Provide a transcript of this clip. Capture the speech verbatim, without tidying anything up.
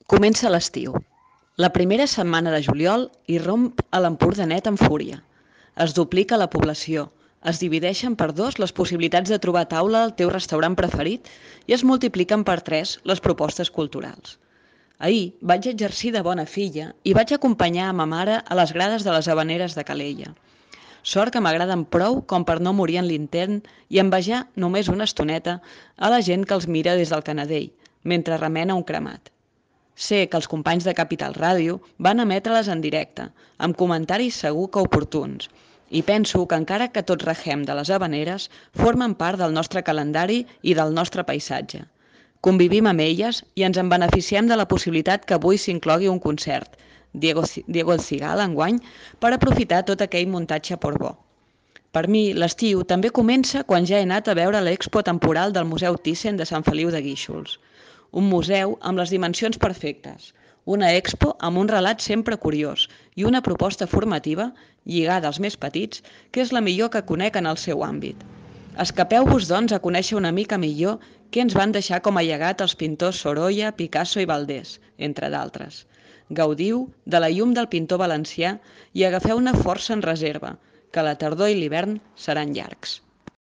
Comença l'estiu. La primera setmana de juliol irromp a l'Empordanet amb fúria. Es duplica la població, es divideixen per dos les possibilitats de trobar taula al teu restaurant preferit i es multipliquen per tres les propostes culturals. Ahir vaig exercir de bona filla i vaig acompanyar a ma mare a les grades de les Havaneres de Calella. Sort que m'agraden prou com per no morir en l'intent i envejar només una estoneta a la gent que els mira des del Canadell, mentre remena un cremat. Sé que els companys de Capital Ràdio van emetre-les en directe, amb comentaris segur que oportuns, i penso que encara que tots regem de les Havaneres, formen part del nostre calendari i del nostre paisatge. Convivim amb elles i ens en beneficiem de la possibilitat que avui s'inclogui un concert, Diego, Diego el Cigala enguany, per aprofitar tot aquell muntatge Portbó. Per mi, l'estiu també comença quan ja he anat a veure l'expo temporal del Museu Thyssen de Sant Feliu de Guíxols. Un museu amb les dimensions perfectes, una expo amb un relat sempre curiós i una proposta formativa lligada als més petits, que és la millor que conec en el seu àmbit. Escapeu-vos, doncs, a conèixer una mica millor què ens van deixar com a llegat els pintors Sorolla, Picasso i Valdés, entre d'altres. Gaudiu de la llum del pintor valencià i agafeu una força en reserva, que la tardor i l'hivern seran llargs.